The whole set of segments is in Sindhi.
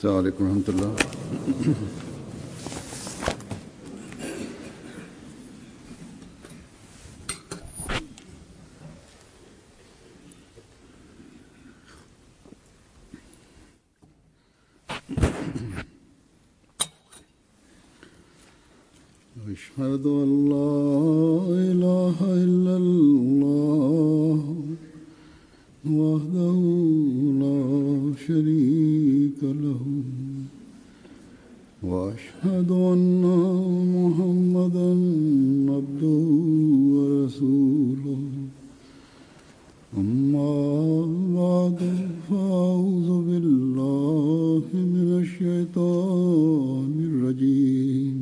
السلام عليڪم ورحمة الله. أشهد أن لا إله إلا الله وحده لا شريك له وأشهد أن محمدا عبده ورسوله أما بعد فأعوذ بالله من الشيطان الرجيم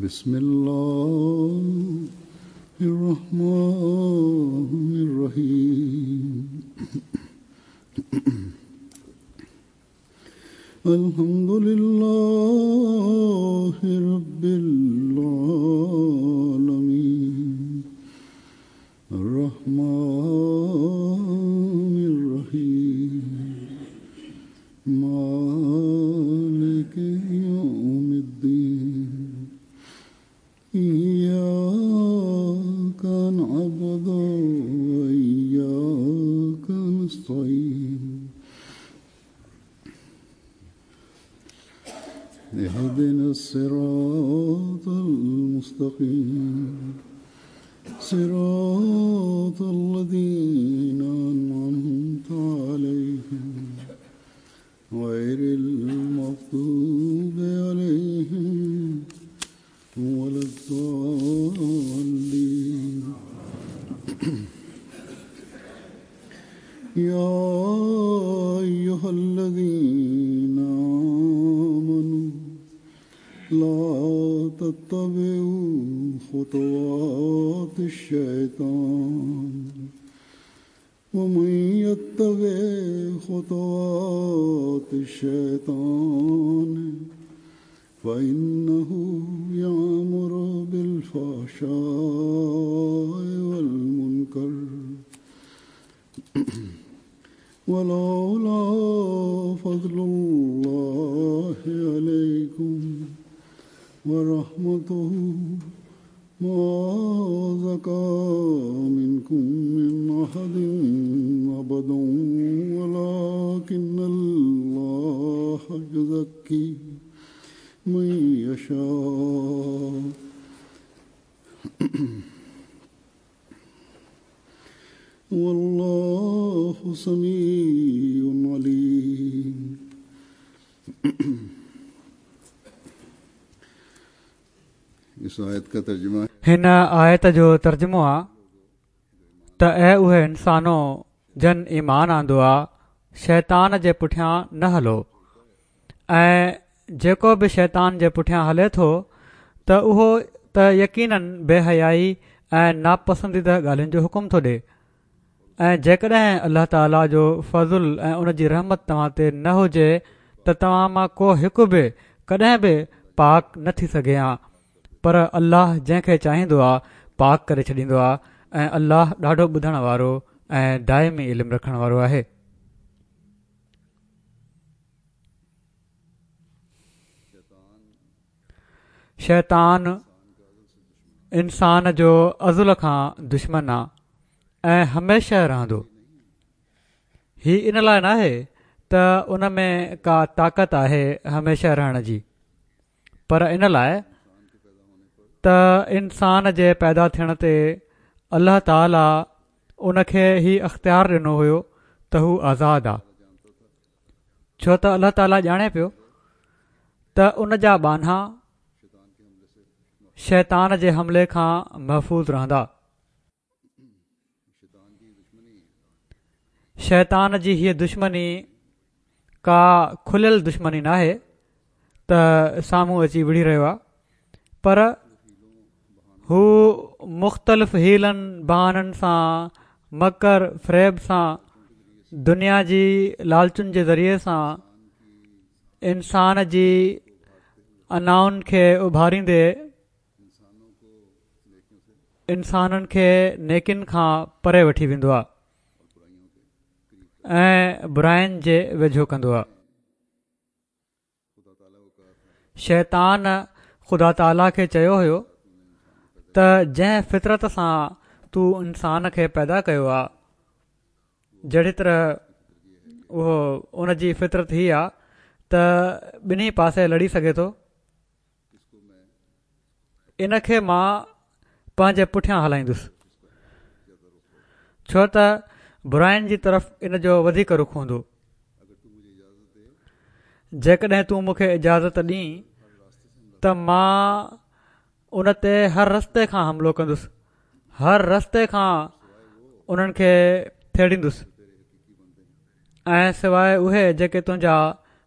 بسم الله الرحمن الرحيم الحمد لله رب العالمين الرحمن الرحيم مالك يوم الدين إياك نعبد وإياك نستعين اهدنا الصراط المستقيم صراط الذين أنعمت عليهم غير المغضوب عليهم ولا الضالين يا أيها الذين آمنوا لا تتبعوا خطوات الشيطان ومن يتبع خطوات الشيطان فإنه يأمر بالفحشاء والمنكر ولولا فضل الله عليكم ورحمته ما زكى منكم من أحد أبدا ولكن الله يزكي من يشاء والله سميع عليم. इस आयत का तर्जुमा هن آيت جو ترجمو آ ته اي اهي انسانو جن ايمان آندو آ شيطان جي پٺيان نه هلو ۽ جيڪو به شيطان جي پٺيان هلي ٿو ته اهو ته يقينن بي حيائي ۽ ناپسنديده ڳالهين جو حڪم ٿو ڏئي ۽ جيڪڏهن الله تعاليٰ جو فضل ۽ ان جي رحمت توهان تي نه هجي ته توهان مان ڪو هڪ به ڪڏهن به پاڪ نه ٿي سگهي ها پر الله جنهن کي چاهيندو آ پاڪ ڪري ڇڏيندو آ ۽ الله ڏاڍو ٻڌڻ وارو ۽ دائمي علم رکڻ وارو آهي. شيطان انسان جو ازل کان دشمن آ ۽ هميشه رهندو. هي ان لاء ناهي ته ان ۾ ڪا طاقت آهي هميشه رهڻ جي پر ان لاء ته انسان جي پيدا ٿيڻ تي الله تعالي ان کي هي اختيار ڏنو هيو ته هو آزاد آ. ڇو ته الله تعاليٰ ڄاڻي پيو ته ان جا ٻانها شيطان جي حملي کان محفوظ رهندا. شيطان جي هيء دشمني ڪا کليل دشمني ناهي ته سامهون اچي وڙهي رهيو آهي پر هو مختلف حيلن بهانن سان مڪر فريب سان دنيا جي لالچن جي ذريعي سان انسان جي انائن کي اڀاريندي انسانن کي نيڪين کان پري وٺي ويندو آهي ۽ براين جي ويجهو ڪندو آهي. شيطان خدا تعاليٰ کي چيو هيو ته جنهن فطرت سان تو انسان کي پيدا ڪيو آ جهڙي طرح اهو ان جي فطرت هي آ ته ٻنهي پاسي لڙي سگهي ٿو ان کي مان پنهنجي پٺيان هلائيندس ڇو ته براين جي طرف ان جو وڌيڪ رخ هوندو جيڪڏهن تون مون کي اجازت ڏين ته مان ان تي هر رستي کان حملو ڪندس هر رستي کان انهن کي ٿيڙيندس ۽ سواء اهي جيڪي تنهنجا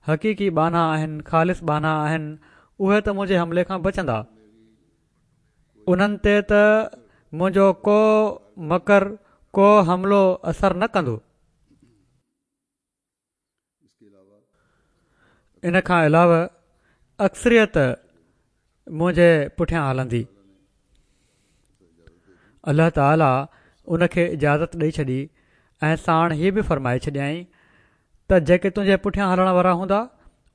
حقيقي ٻانها آهن، خالص ٻانها آهن، اهي ته منهنجي حملي کان بچندا. انهن تي ته منهنجو ڪو مڪر، ڪو حملو اثر نه ڪندو. ان کان علاوه اڪثريت منهنجي پٺيان هلندي. الله تعالي ان کي اجازت ڏئي ڇڏي ۽ ساڻ هي به فرمائي ڇڏيائين ته جيڪي تنهنجي پٺيان هلڻ وارا هوندا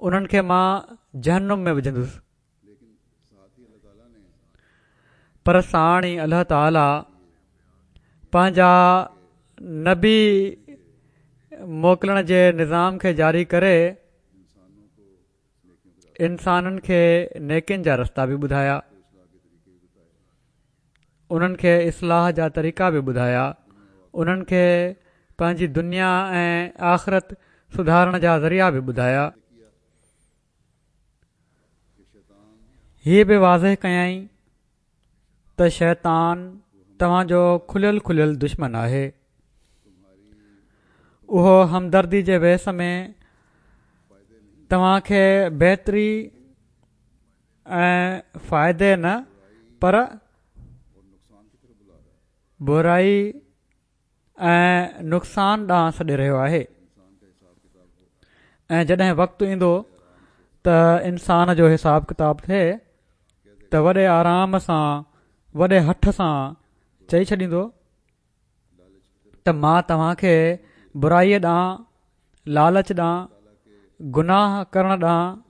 انهن کي مان جهنم ۾ وجهندس. پر ساڻ ئي الله تعالي پنهنجا نبي موڪلڻ جي نظام کي جاري ڪري انسانن کي نيڪين جا رستا به ٻڌايا انهن کي اصلاح جا طريقا به ٻڌايا انهن کي پنهنجي دنيا ۽ آخرت سڌارڻ جا ذريعا به ٻڌايا هي به واضح ڪيائين ته شيطان توهان جو کليل کليل دشمن آهي اهو همدردي جي ويس ۾ توهان کي بهتري ۽ فائدي نه پر برائي ۽ نقصان ڏانهن سڏي رهيو آهي ۽ جڏهن وقت ايندو ته انسان جو حساب ڪتاب ٿئي ته وڏي آرام سان وڏي هٺ سان چئي ڇڏيندو ته مان توهان کي برائي ڏانهن لالچ ڏانهن گناهه ڪرڻ ڏانهن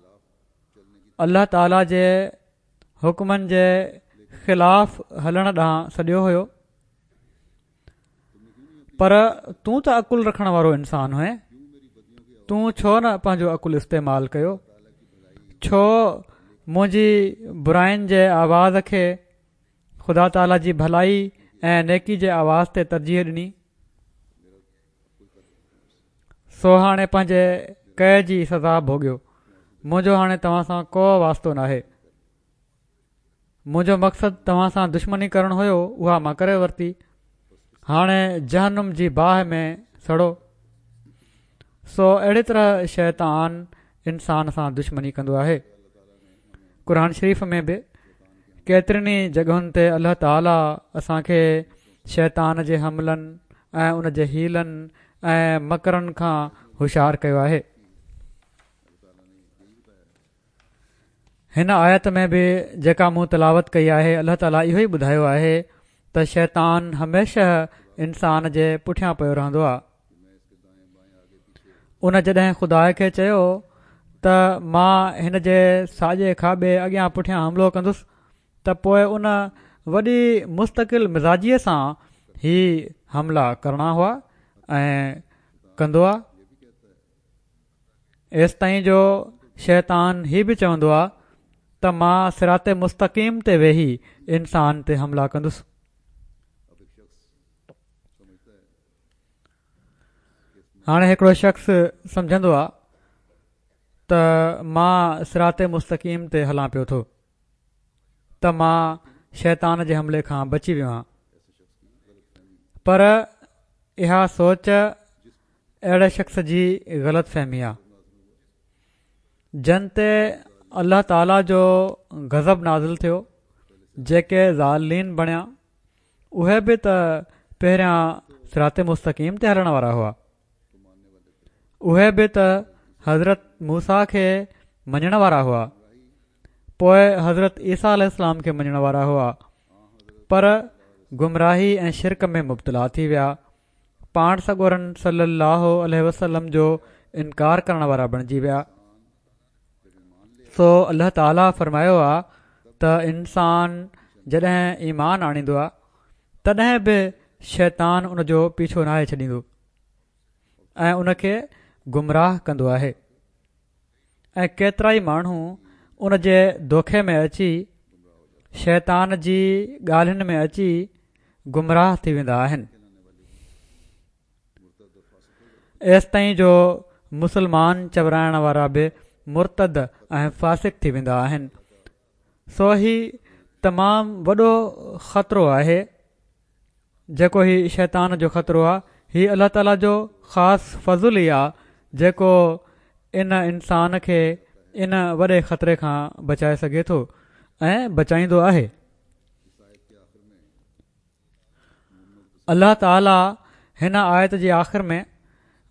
الله تعالي جي حڪمن جي خلاف هلڻ ڏانهن سڏيو هيو پر تون ته عقل رکڻ وارو انسان هئين تون ڇو نه پنهنجو عقل استعمال ڪيو ڇو منهنجي براين جي آواز کي خدا تعاليٰ جي ڀلائي ۽ نيڪي جي آواز تي ترجيح ڏني سو هاڻي پنهنجي ڪئي جي سزا ڀوڳيو منهنجو هاڻي توهان سان ڪو واسطو ناهي منهنجو مقصد توهان سان دشمني ڪرڻ هيو اها مان ڪري ورتي هاڻي جهنم جي باهه ۾ سڙو سو اهڙي طرح شيطان انسان سان دشمني ڪندو آهي قرآن شريف ۾ به ڪيترين ئي جڳهن تي الله تعالي اسان کي شيطان جي حملن ۽ ان جي حيلن ۽ مڪرن کان هوشيار ڪيو آهي هن آيت ۾ به جيڪا مون تلاوت ڪئي آهي الله تعالي اهو ئي ٻڌايو آهي ته شيطان هميشه انسان جي پٺيان پيو رهندو آهي ان جڏهن خدا کي چيو ته مان هن جي ساڄي کاٻي اڳيان پٺيان حملو ڪندس ته پوء ان وڏي مستقل مزاجيء سان هي حملا ڪرڻا هئا ۽ ڪندو آهي ايستائين جو شيطان هي به چوندو آ ته مان صراط مستقيم تي ويهي انسان تي حملا ڪندس. هاڻي هڪڙو شخص سمجهندو آ ته مان صراط مستقيم تي هلان پيو ٿو ته مان شيطان جي حملي کان بچي ويو آهيان پر اها سوچ اهڙي شخص جي غلط فهمي آ جن تي الله تعالي جو غضب نازل ٿيو جيڪي ضالين بڻيا اهي به ته پهريان صراط مستقيم تي هلڻ وارا هئا اهي به ته حضرت موسيٰ کي مڃڻ وارا هئا پوء حضرت عيسيٰ عليه السلام کي مڃڻ وارا هئا پر گمراهي ۽ شرڪ ۾ مبتلا ٿي ويا پاڻ سڳورن صلّي اللّٰه عليه وسلّم جو انڪار ڪرڻ وارا بڻجي ويا. سو الله تعالي فرمايو آ ته انسان جڏهن ايمان آڻيندو آ تڏهن به شيطان ان جو پيڇو ناهي ڇڏيندو ۽ ان کي گمراهه ڪندو آهي ۽ ڪيترائي ماڻهو ان جي دوکي ۾ اچي شيطان جي ڳالهين ۾ اچي گمراهه ٿي ويندا آهن. ايستائين جو مسلمان چورائڻ وارا به مرتد ۽ فاسق ٿي ويندا آهن. سو هي تمام وڏو خطرو آهي جيڪو هي شيطان جو خطرو آهي هي الله تعالي جو خاص فضل ئي آهي جيڪو ان انسان کي ان وڏي خطري کان بچائي سگهي ٿو ۽ بچائيندو آهي. الله تعالي هن آيت جي آخر ۾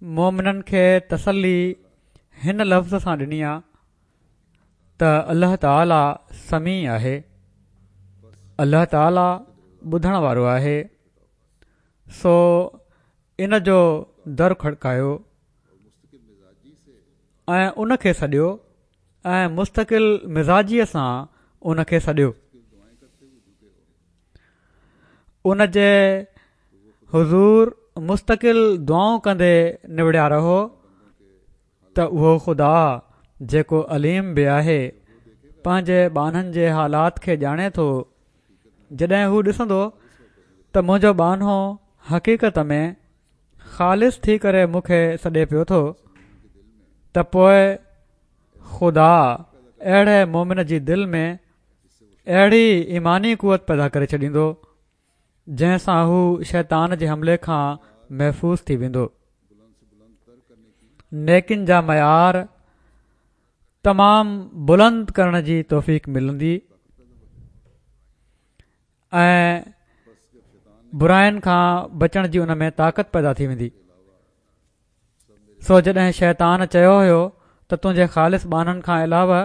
مؤمنن کي تسلي هن لفظ سان ڏني آ ته الله تعالي سميع آهي الله تعالي ٻڌڻ وارو آهي سو ان جو در کڙڪايو ۽ ان کي سڏيو ۽ مستقل مزاجيء سان ان کي سڏيو ان جي حضور مستقل دعائون ڪندي نوڙيا رهو ته اهو خدا جيڪو عليم به آهي پنهنجي ٻانهن جي حالات کي ڄاڻي ٿو جڏهن هو ڏسندو ته منهنجو ٻانهو حقيقت ۾ خالص ٿي ڪري مون کي سڏي پيو ٿو ته پوء خدا اهڙي مومن جي دل ۾ اهڙي ايماني قوت پيدا ڪري ڇڏيندو جنهن سان هو شيطان جي حملي کان محفوظ ٿي ويندو. نيڪين جا معيار تمام بلند ڪرڻ جي توفيق ملندي ۽ براين کان بچڻ جي ان ۾ طاقت پيدا ٿي ويندي. سو جڏهن شيطان چيو هيو ته تنهنجي خالص ٻانهن کان علاوه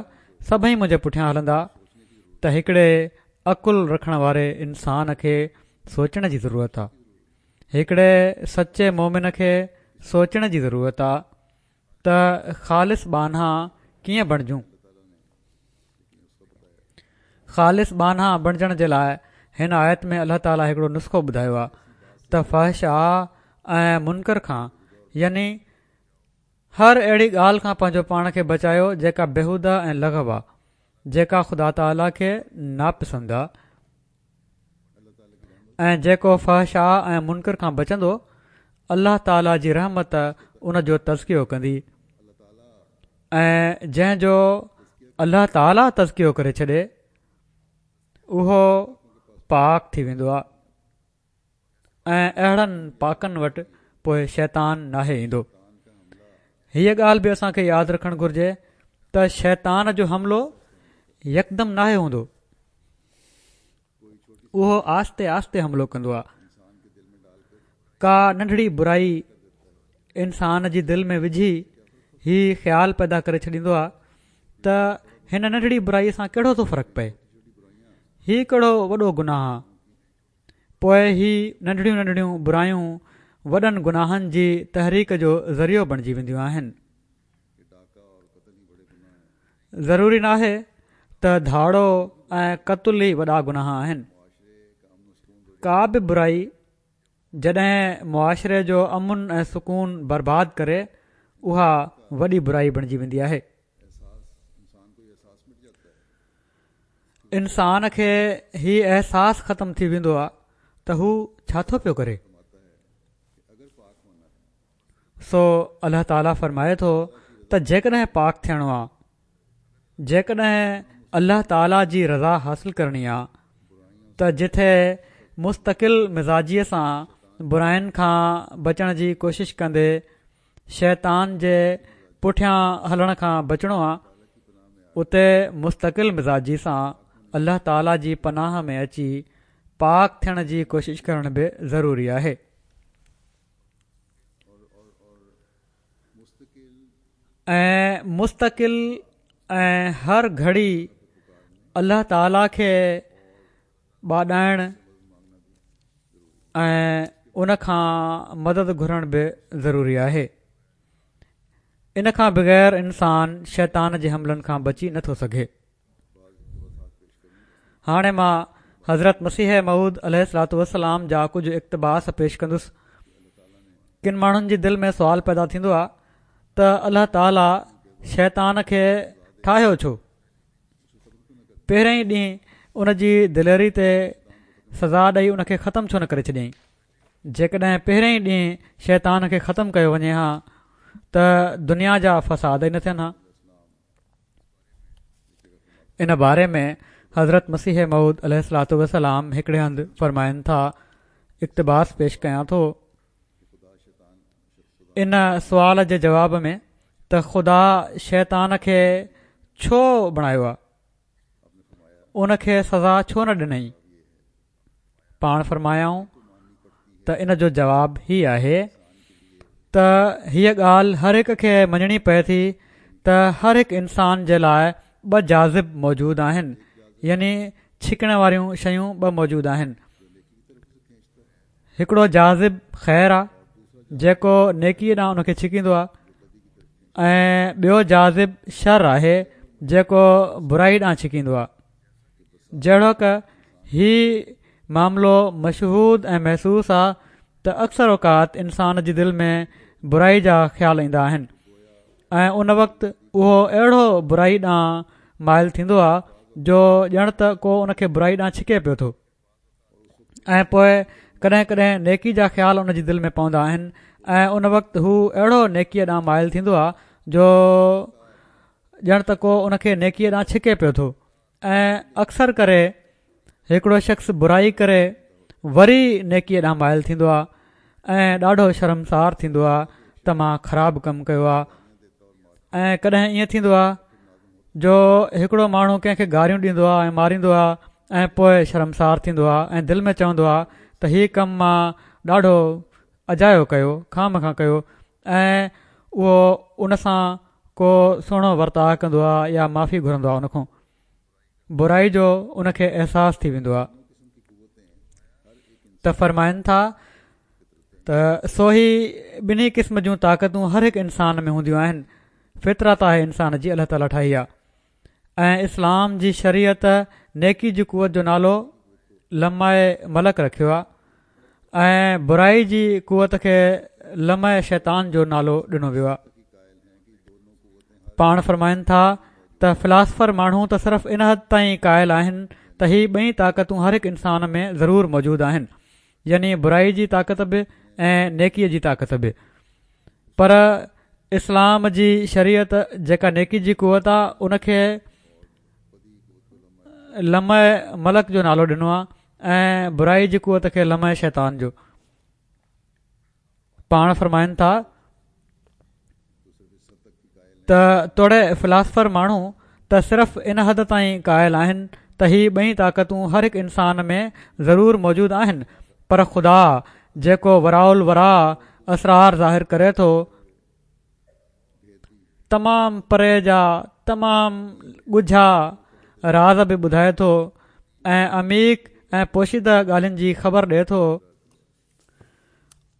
سڀئي منهنجي پٺيان هلندا ته هڪڙي عقل رکڻ واري انسان کي سوچڻ جي ضرورت آ هڪڙي سچي مومن کي سوچڻ جي ضرورت آ ته خالص ٻانها ڪيئن بڻجون خالص ٻانها بڻجڻ جي لاء هن آيت ۾ الله تعالي هڪڙو نسخو ٻڌايو آهي ته فحشا ۽ منڪر کان يعني هر اهڙي ڳالهه کان پنهنجو پاڻ کي بچايو جيڪا بيهوده ۽ لغو آهي جيڪا خدا تعالي کي ناپسند آهي ۽ جيڪو فحشا ۽ منڪر کان بچندو الله تعالي جي رحمت ان جو تزڪيو ڪندي ۽ جنهن جو الله تعالي تزڪيو ڪري ڇڏي اهو پاڪ ٿي ويندو آهي ۽ اهڙن پاڪن وٽ پوء شيطان ناهي ايندو هيء ڳالهه به اسان کي ياد رکڻ گهرجي ته شيطان جو حملو يڪدم ناهي هوندو اهو آهستي آهستي حملو ڪندو آهي. ڪا ننڍڙي برائي انسان جي دل ۾ وجهي هي خيال پيدا ڪري ڇڏيندو آهي ته هن ننڍڙي برائي سان ڪهڙو ٿو فرق پئي هي ڪهڙو وڏو گناهه آهي پوء هي ننڍڙيون ننڍڙيون برايون وڏن گناهن جي تحريڪ جو ذريعو بڻجي وينديون آهن ضروري ناهي ته ڌاڙو ۽ قتل ئي وڏا گناهه آهن. ڪا به برائي جڏهن معاشري جو امن ۽ سڪون برباد ڪري اها وڏي برائي بڻجي ويندي آهي. انسان کي هي احساس ختم ٿي ويندو آهي ته هو ڇا ٿو پيو ڪري. سو الله تعالي فرمائي ٿو ته جيڪڏهن پاڪ ٿيڻو آ جيڪڏهن الله تعالي جي رضا حاصل ڪرڻي آ ته جٿي مستقل مزاجيء سان براين کان بچڻ جي ڪوشش ڪندي شيطان جي پٺيان هلڻ کان بچڻو آ اتي مستقل مزاجي سان الله تعالي جي پناهه ۾ اچي پاڪ ٿيڻ جي ڪوشش ڪرڻ به ضروري آهي. ۽ مستقل ۽ هر گهڙي الله تعالي کي ٻاڏائڻ ۽ ان کان مدد گهرڻ به ضروري آهي. ان کان بغير انسان شيطان جي حملن کان بچي نه ٿو سگهي. هاڻي مان حضرت مسيح موعود عليه الصلوة والسلام جا ڪجهه اقتباس پيش ڪندس. ڪن ماڻهن جي دل ۾ سوال پيدا ٿيندو آهي ته الله تعالي شيطان کي ٺاهيو ڇو؟ پهرئين ئي ڏينهن ان جي دليري تي سزا ڏئي ان کي ختم ڇو نه ڪري ڇڏيائين؟ جيڪڏهن پهرئين ئي ڏينهن شيطان کي ختم ڪيو وڃي ها ته دنيا جا فساد ئي نه ٿين ها. ان باري ۾ حضرت مسيح موعود عليه الصلوة والسلام هڪڙي هنڌ فرمائن ٿا، اقتباس پيش ڪيان ٿو، ان سوال جي جواب ۾ ته خدا شيطان کي ڇو بڻايو آ؟ ان کي سزا ڇو نه ڏنائين؟ پاڻ فرمايائون ته ان جو جواب هي آهي ته هيء ڳالهه هر هڪ کي مڃڻي پئي ٿي ته هر هڪ انسان جي لاء ٻه جاذب موجود آهن يعني ڇڪڻ واريون شيون ٻه موجود آهن هڪڙو جاذب خير آ جيڪو نيڪي ڏانهن ان کي ڇڪيندو آ ۽ ٻيو جاذب شر آهي جيڪو برائي ڏانهن ڇڪيندو آ جهڙوڪ هي معاملو مشهود ۽ محسوس آ ته اڪثر اوقات انسان جي دل ۾ برائي جا خيال ايندا آهن ۽ ان وقت اهو اهڙو برائي ڏانهن مائل ٿيندو آ جو ڄڻ ته ڪو ان کي برائي ڏانهن ڇڪي پيو ٿو ۽ پوء ڪڏهن ڪڏهن نيڪي جا خيال ان جي دل ۾ پوندا آهن ۽ ان وقت هو اهڙو نيڪيء ڏانهن مائل ٿيندو آ جو ڄڻ ته ڪو ان کي نيڪيء ڏانهن ڇڪي پيو ٿو ۽ اڪثر ڪري هڪڙو شخص برائي ڪري وري نيڪيء ڏانهن مائل ٿيندو آهي ۽ ڏاڍو شرمسار ٿيندو آهي ته مان خراب ڪم ڪيو آهي ۽ ڪڏهن ائين ٿيندو آهي جو هڪڙو ماڻهو ڪنهن کي گاريون ڏيندو آهي ۽ ماريندو آهي ۽ پوء شرمسار ٿيندو آهي ۽ دل ۾ چوندو آهي ته هي ڪم مان ڏاڍو اجايو ڪيو، خوامخواه ڪيو ۽ اهو ان سان ڪو سهڻو ورتاء ڪندو آهي يا معافي گهرندو آهي ان کان برائي جو ان کي احساس ٿي ويندو آهي ته فرمائن ٿا ته سو هي ٻنهي قسم جون طاقتون هر هڪ انسان ۾ هونديون آهن فطرت آهي انسان جي الله تعالي ٺاهي آهي ۽ اسلام جي شريعت نيڪي جي قوت جو نالو لمع ملڪ رکيو آهي ۽ برائي جي قوت کي لمع شيطان جو نالو ڏنو ويو آهي پاڻ فرمائن ٿا ته فلاسفر ماڻهو ته صرف ان حد تائين قائل آهن ته هي ٻئي طاقتون هر هڪ انسان ۾ ضرور موجود آهن يعني برائي جي طاقت به ۽ نيڪي جي طاقت به پر اسلام جي شريعت جيڪا نيڪي جي قوت آ ان کي لمع ملڪ جو نالو ڏنو آ ۽ برائي جي قوت کي لمع شيطان جو پاڻ فرمائن ٿا ته توڙي فلاسفر ماڻهو ته صرف ان حد تائين قائل آهن ته هي ٻئي طاقتون هر هڪ انسان ۾ ضرور موجود آهن پر خدا جيڪو وراء الوراء اسرار ظاهر ڪري ٿو تمام پري جا تمام ڳجها راز به ٻڌائي ٿو ۽ عميق ۽ پوشيده ڳالهين جي خبر ڏئي ٿو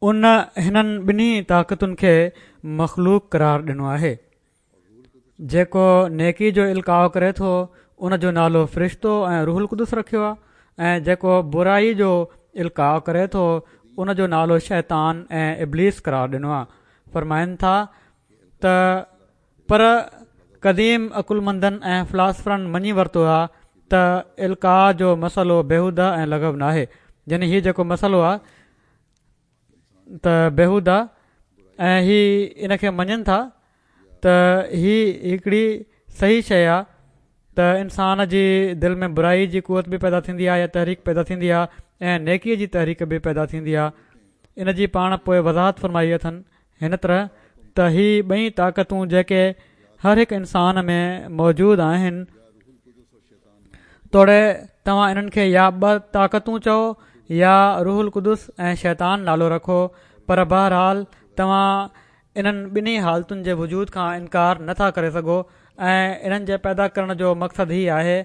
ان هنن ٻنهي طاقتن کي مخلوق قرار ڏنو آهي. جيڪو نيڪي جو القاء ڪري ٿو ان جو نالو فرشتو ۽ روح القدس رکيو آهي ۽ جيڪو برائي جو القاء ڪري ٿو ان جو نالو شيطان ۽ ابليس قرار ڏنو آهي. فرمائن ٿا ته پر قديم عقلمندن ۽ فلاسفرن مڃي ورتو آ ته القاء جو مسئلو بيهوده ۽ لغو ناهي يعني هي جيڪو مسئلو آ ته بيهوده ۽ هي ان کي مڃن ٿا ته هي هڪڙي صحيح شيء آ ته انسان جي دل ۾ برائي جي قوت به پيدا ٿيندي آ يا تحريڪ پيدا ٿيندي آ ۽ نيڪي جي تحريڪ به پيدا ٿيندي آ ان جي پاڻ پوء وضاحت فرمائي اٿن هن طرح ته هي ٻئي طاقتون جيڪي هر هڪ انسان ۾ موجود آهن توڙي توهان انهن کي يا ٻه طاقتون چئو يا روح القدس ۽ شيطان نالو رکو پر بهرحال توهان انهن ٻنهي حالتن جي وجود کان انڪار نه ٿا ڪري سگهو ۽ انهن جي پيدا ڪرڻ جو مقصد هي آهي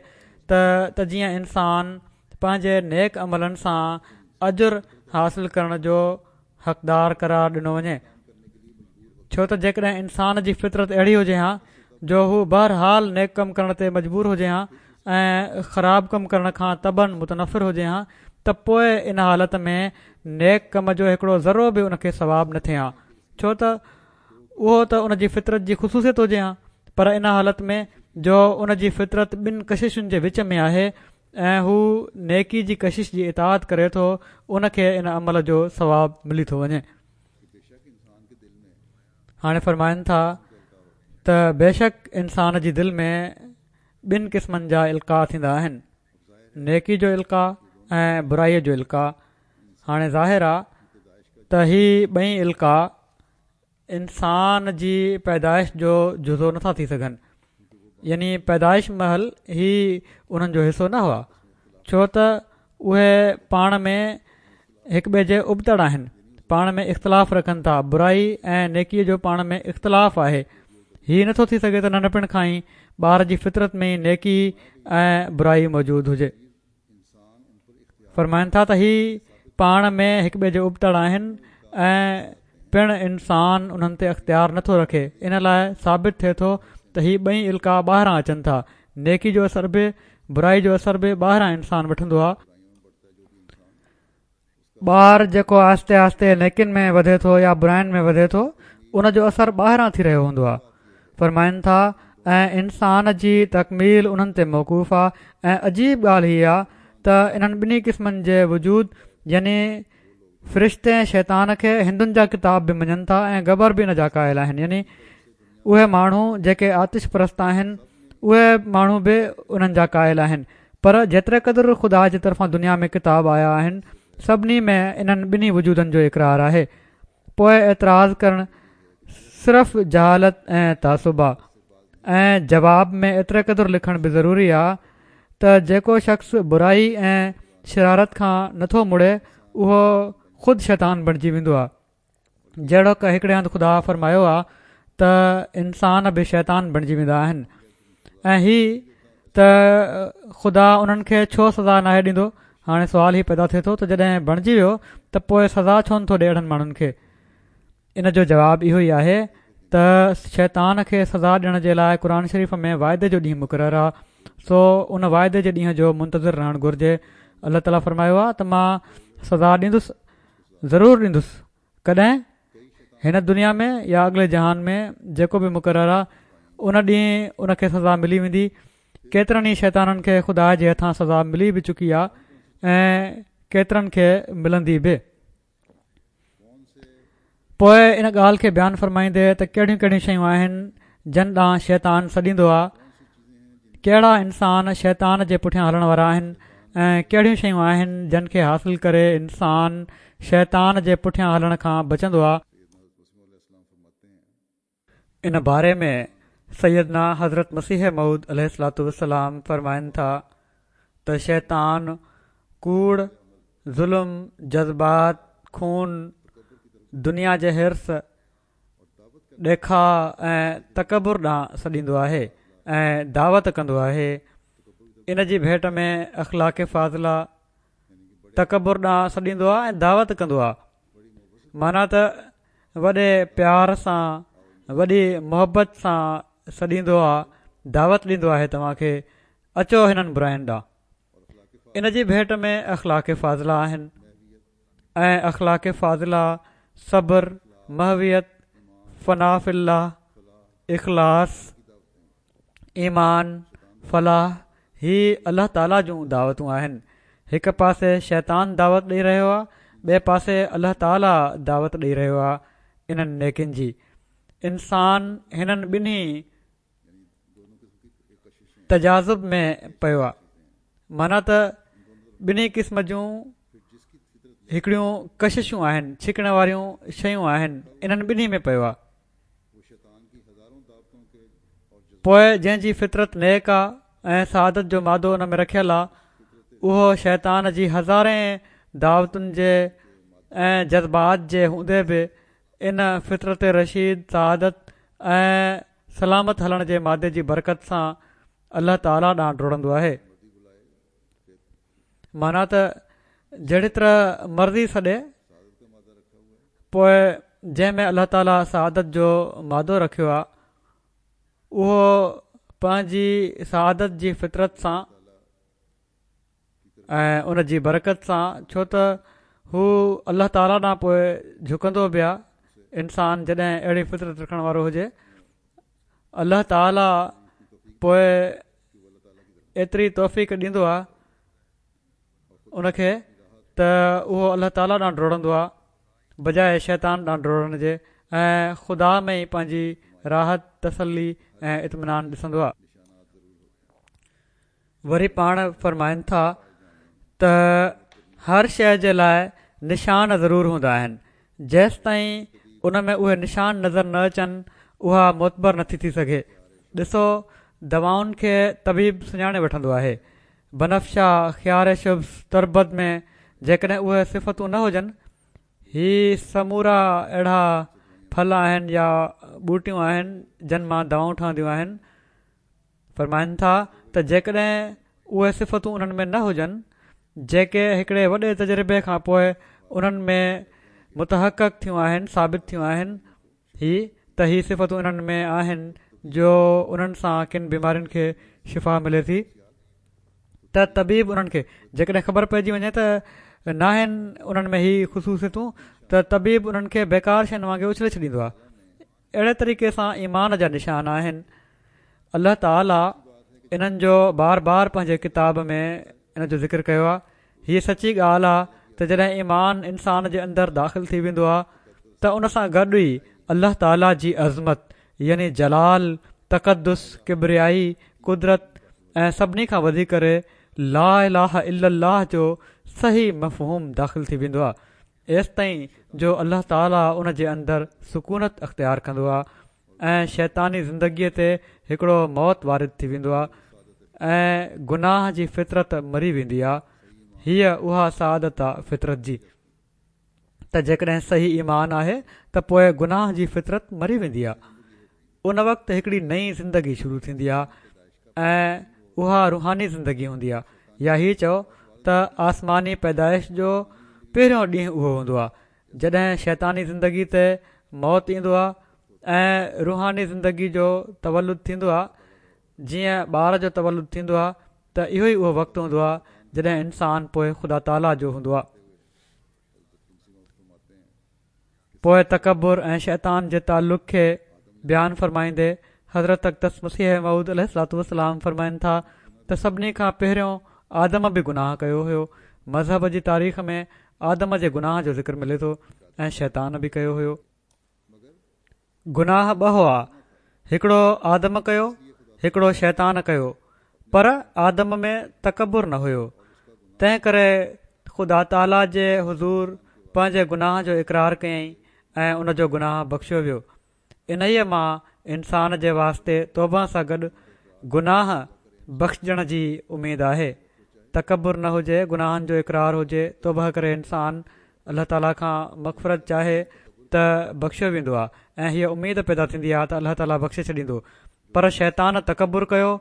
ته ته جيئن انسان پنهنجي نيڪ عملن سان اجر حاصل ڪرڻ جو حقدار قرار ڏنو وڃي. ڇو ته جيڪڏهن انسان جي فطرت اهڙي هجي ها جو هو بهرحال نيڪ ڪم ڪرڻ تي مجبور هجي ها ۽ خراب ڪم ڪرڻ کان طبعاً متنفر هجي ها ته پوء ان حالت ۾ نيڪ ڪم جو هڪڙو ذرو به ان کي ثواب نه ٿئي ها ڇو ته اهو ته ان جي فطرت جي خصوصيت هجي ها پر ان حالت ۾ جو ان جي فطرت ٻن ڪششن جي وچ ۾ آهي ۽ هو نيڪي جي ڪشش جي اطاعت ڪري ٿو ان کي ان عمل جو ثواب ملي ٿو وڃي. هاڻي فرمائن ٿا ته بيشڪ انسان جي دل ۾ ٻن قسمن جا القاء ٿيندا آهن نيڪي جو القاء ۽ برائي جو القاء هاڻي ظاهر آ ته هي ٻئي القاء انسان جي پيدائش جو جزو نٿا ٿي سگهن يعني پيدائش مهل هي انهن جو حصو نه هئا ڇو ته اهي پاڻ ۾ هڪ ٻئي جي ابتڙ آهن پاڻ ۾ اختلاف رکن ٿا برائي ۽ نيڪي جو پاڻ ۾ اختلاف آهي هي نٿو ٿي سگهي ته ننڍپڻ کان ئي ٻار جي فطرت ۾ ئي نيڪي ۽ برائي موجود هجي فرمائن ٿا ته هي پاڻ ۾ هڪ ٻئي جي ابتڙ آهن ۽ پڻ انسان انهن تي اختيار نٿو رکي ان لاء ثابت ٿئي ٿو ته هي ٻئي القاء ٻاهران اچن ٿا نيڪي جو اثر به برائي جو اثر به ٻاهران انسان وٺندو آهي ٻار جيڪو آهستي آهستي نيڪين ۾ وڌي ٿو يا براين ۾ وڌي ٿو ان جو اثر ٻاهران ٿي رهيو هوندو آهي فرمائن ٿا ۽ انسان جي تڪميل انهن تي موقوف آهي ۽ عجيب ڳالهه هي آهي ته انهن ٻنهي قسمن جي وجود يعني فرشتي ۽ شيطان کي هندن جا ڪتاب به مڃن ٿا ۽ گبر به ان جا قائل آهن يعني اهي ماڻهو جيڪي آتش پرست آهن اهي ماڻهو به انهن جا قائل آهن پر جيتري قدر خدا جي طرفان دنيا ۾ ڪتاب آيا آهن سڀني ۾ انهن ٻنهي وجودن جو اقرار آهي پوء اعتراض ڪرڻ صرف جهالت ۽ تعصب آ ۽ جواب ۾ ايتري قدر لکڻ به ضروري آ ته جيڪو شخص برائي ۽ شرارت کان نٿو مڙي اهو خود شيطان بڻجي ويندو آ جهڙوڪ هڪڙي هنڌ خدا فرمايو آ ته انسان به شيطان بڻجي ويندا آهن ۽ هي ته خدا انهن کي ڇو سزا ناهي ڏيندو هاڻي سوال هي پيدا ٿئي ٿو ته جڏهن بڻجي ويو ته پوء سزا ڇو نٿو ڏي اهڙن ماڻهن کي ان جو جواب اهو ئي آهي ته شيطان کي سزا ڏيڻ جي لاء قرآن شريف ۾ وعدي جو ڏينهن مقرر آ سو ان وعدي جي ڏينهن جو منتظر رهڻ گهرجي الله تعاليٰ فرمايو آ ته مان سزا ڏيندس ضرور ڏيندس ڪڏهن؟ هن دنيا ۾ يا اڳلي جهان ۾ جيڪو به مقرر آ ان ڏينهن ان کي سزا ملي ويندي. ڪيترن ئي شيطانن کي خدا جي هٿان سزا ملي به چڪي آ ۽ ڪيترن کي ملندي به. پوء ان ڳالهه کي بيان فرمائيندي ته ڪهڙيون ڪهڙيون شيون آهن جن ڏانهن شيطان سڏيندو آ ڪهڙا انسان شيطان جي پٺيان هلڻ وارا آهن ۽ ڪهڙيون شيون آهن جن کي حاصل ڪري انسان شيطان جي پٺيان هلڻ کان بچندو آ. ان باري ۾ سيدنا حضرت مسيح موعود عليه الصلوة والسلام فرمائن ٿا ته شيطان ڪوڙ، ظلم، جذبات، خون، دنيا جي حرص، ڏيکاء ۽ تڪبر ڏانهن سڏيندو آهي ۽ دعوت ڪندو آهي ان جي ڀيٽ ۾ اخلاق فاضله تڪبر ڏانهن سڏيندو آهي ۽ دعوت ڪندو آهي معنيٰ ته وڏي پيار سان وڏي محبت سان سڏيندو آهي دعوت ڏيندو آهي توهان کي اچو هنن براين ڏانهن ان جي ڀيٽ ۾ اخلاق فاضله آهن ۽ اخلاق فاضله، صبر، محويت، فنا في الله، اخلاص، ايمان، فلاح، هي الله تعاليٰ جون دعوتون آهن. هڪ پاسي شيطان دعوت ڏئي رهيو آهي، ٻئي پاسي الله تعاليٰ دعوت ڏئي رهيو آهي انهن نيڪين جي. انسان هنن ٻنهي تجاذب ۾ پيو آ معنيٰ ته ٻنهي قسم جون هڪڙيون ڪششون آهن ڇڪڻ واريون شيون آهن انهن ٻنهي ۾ پيو آ پوء جنهن جي فطرت نيڪ آ ۽ سعادت جو مادو ان ۾ رکيل آ اهو شيطان جي هزارين دعوتن جي ۽ جذبات جي هوندي به ان فطرت رشيد سعادت ۽ سلامت هلڻ جي مادي جي برڪت سان الله تعاليٰ ڏانهن ڊوڙندو آهي. معنيٰ ته جهڙي طرح مرضي سڏي پوء جنهن ۾ الله تعالي سعادت جو مادو رکيو آهي اهو پنهنجي سعادت جي فطرت سان ۽ ان جي برڪت سان ڇو ته هو الله تعالي ڏانهن پوء جهڪندو به آهي انسان جڏهن اهڙي فطرت رکڻ وارو هجي الله تعالي پوء ايتري توفيق ڏيندو آهي ان کي ته اهو الله تعالي ڏانهن ڊوڙندو آهي بجاء شيطان ڏانهن ڊوڙڻ جي ۽ خدا ۾ ئي پنهنجي راحت تسلي ۽ اطمينان ڏسندو آهي. وري پاڻ فرمائن ٿا ته هر شيء جي لاء نشان ضرور هوندا آهن، جيستائين ان ۾ اهي نشان نظر نه اچن اها معتبر نٿي ٿي سگهي. ڏسو دوائن کي طبيب سڃاڻي وٺندو آهي. بنفشه، خيار شبث، تربت ۾ جيڪڏهن اهي صفتون نه هجن، هي سمورا اهڙا ڦل آهن يا ٻوٽيون آهن جن مان دوائون ٺهنديون آهن، فرمائن ٿا ته جيڪڏهن اهي صفتون انهن ۾ نه هجن جيڪي هڪڙي وڏي تجربي کان پوء انهن ۾ متحقق ٿيون آهن، ثابت ٿيون آهن، هي ته هي صفتون انهن ۾ آهن جو انهن سان ڪن بيمارين کي شفا ملي ٿي ته طبيب انهن کي جيڪڏهن خبر پئجي وڃي ته ناهن انهن ۾ هي خصوصيتون ته طبيب انهن کي بيڪار شين وانگي اڇلي ڇڏيندو آهي. اهڙي طريقي سان ايمان جا نشان آهن. الله تعالي انهن جو بار بار پنهنجي ڪتاب ۾ ان جو ذڪر ڪيو آهي. هيء سچي ڳالهه آهي ته جڏهن ايمان انسان جي اندر داخل ٿي ويندو آهي ته ان سان گڏ ئي الله تعالي جي عظمت يعني جلال، تقدس، ڪبريائي، قدرت ۽ سڀني کان وڌي ڪري لا اله الا الله جو صحيح مفهوم داخل ٿي ويندو آهي. ايستائين جو الله تعالي ان جي اندر سڪونت اختيار ڪندو آهي ۽ شيطاني زندگيء تي هڪڙو موت وارد ٿي ويندو آهي ۽ گناهه جي فطرت مري ويندي آهي. هيء اها سعادت آ فطرت جي ته جيڪڏهن صحيح ايمان آهي ته پوء گناهه جي فطرت مري ويندي آهي. ان وقت هڪڙي نئين زندگي شروع ٿيندي آهي ۽ اها روحاني زندگي هوندي آهي يا هي چئو ته آسماني پيدائش جو پهريون ڏينهن اهو هوندو آهي جڏهن شيطاني زندگي تي موت ايندو آهي ۽ روحاني زندگي جو تولد ٿيندو آهي جيئن ٻار جو تولد ٿيندو آهي ته اهو ئي اهو وقت هوندو آهي جڏهن انسان پوء خدا تعاليٰ جو هوندو آهي. پوء تڪبر ۽ شيطان جي تعلق کي بيان فرمائيندي حضرت اقدس مسيح موعود عليه الصلوة والسلام فرمائن ٿا ته سڀني کان پهريون آدم به گناهه ڪيو هيو مذهب جي تاريخ ۾ آدم جي گناهه جو ذڪر ملي ٿو ۽ شيطان به ڪيو هيو. گناهه ٻه هئا، هڪڙو آدم ڪيو، هڪڙو شيطان ڪيو، پر آدم ۾ تڪبر نه هيو، تنهن ڪري خدا تعاليٰ جي حضور پنهنجي گناهه جو اقرار ڪيائين ۽ ان جو گناهه بخشيو ويو. انهيء مان انسان جي واسطي توبه سان گڏ گناهه بخشجڻ جي اميد آهي. تڪبر نه هجي، گناهن جو اقرار هجي، توبه ڪري انسان الله تعاليٰ کان مغفرت چاهي ته بخشيو ويندو آهي ۽ هيء اميد پيدا ٿيندي آهي ته الله تعاليٰ بخشي ڇڏيندو پر شيطان تڪبر ڪيو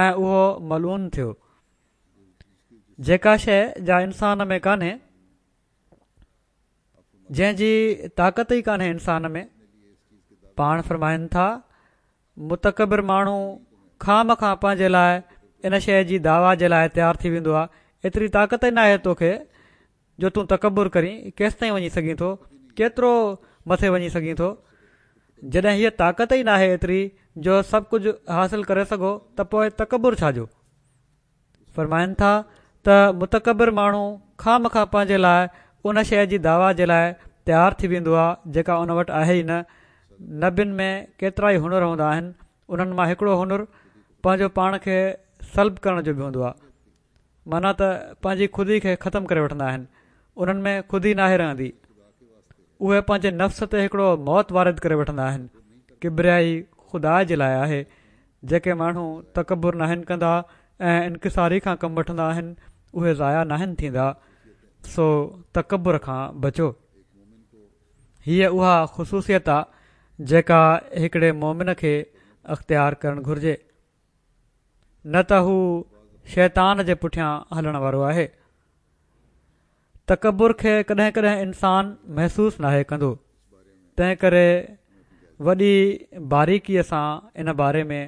۽ اهو ملعون ٿيو جيڪا شيء جا انسان ۾ ڪانهي جنهن جي طاقت ئي ڪانهي انسان ۾ پاڻ فرمائن ٿا متڪبر ماڻهو خوامخواه پنهنجي لاء ان شيء جي دعويٰ جي لاء تيار ٿي ويندو آهي ايتري طاقت ئي ناهي توکي جو تون تڪبر ڪرين، ڪيستائين وڃي سگهين ٿو، ڪيترو مٿي وڃي سگهين ٿو؟ جڏهن هيء طاقت ئي ناهي ايتري جو سڀ ڪجهه حاصل ڪري سگهو ته پوء تڪبر ڇا جو؟ فرمائن ٿا ته متڪبر ماڻهو خوامخواه پنهنجي لاء ان شيء جي دعويٰ جي لاء تيار ٿي ويندو آهي جيڪا ان وٽ آهي ئي نه. نبين ۾ ڪيترائي هنر هوندا آهن، انهن مان هڪڙو هنر پنهنجو پاڻ کي سلب ڪرڻ جو به هوندو آهي. معنيٰ ته پنهنجي خودي کي ختم ڪري وٺندا آهن، انهن ۾ خودي ناهي رهندي، اهي پنهنجي نفس تي هڪڙو موت وارد ڪري وٺندا آهن، ڪبريائي خدا جي لاء آهي، جيڪي ماڻهو تڪبر ناهن ڪندا ۽ انڪساري کان ڪم وٺندا آهن، اهي ضايع ناهن ٿيندا، سو تڪبر کان بچو. هيء اها خصوصيت آ جيڪا هڪڙي مؤمن کي اختيار ڪرڻ گهرجي. نه ته هو شيطان جي پٺيان هلڻ وارو آهي. تڪبر کي ڪڏهن ڪڏهن انسان محسوس ناهي ڪندو. تنهن ڪري وڏي باريڪيء سان ان باري ۾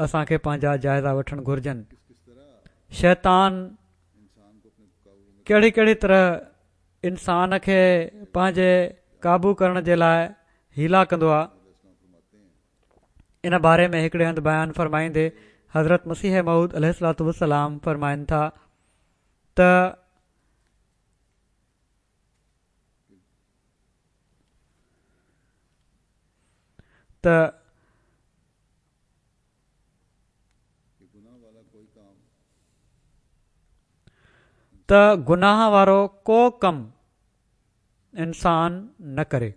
اسان کي پنهنجا جائزا وٺڻ گهرجن. شيطان ڪهڙي ڪهڙي طرح انسان کي پنهنجي قابو ڪرڻ جي لاء حيلا ڪندو آهي. ان باري ۾ هڪڙي هنڌ بيان فرمائيندي حضرت مسيح موعود عليه الصلوة والسلام فرمائن ٿا ته ته ته گناهه وارو ڪو ڪم انسان نه ڪري.